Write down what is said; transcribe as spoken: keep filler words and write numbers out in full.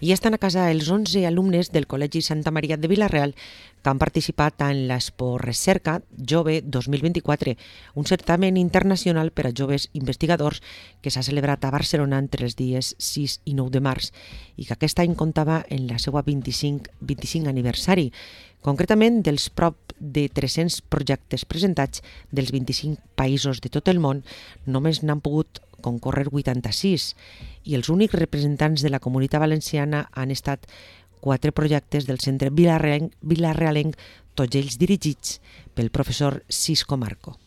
I estan a casa els onze alumnes del Col·legi Santa Maria de Vila-real que han participat en l'Expo Recerca Jove dos mil vint-i-quatre, un certamen internacional per a joves investigadors que s'ha celebrat a Barcelona entre els dies sis i nou de març i que aquest any comptava en la seva vint-i-cinc vint-i-cinc aniversari. Concretament, dels prop de tres-cents projectes presentats dels vint-i-cinc països de tot el món, només n'han pogut concórrer vuitanta-sis i els únics representants de la Comunitat Valenciana han estat quatre projectes del Centre Vilarealenc, Vilarealenc tots ells dirigits pel professor Cisco Marco.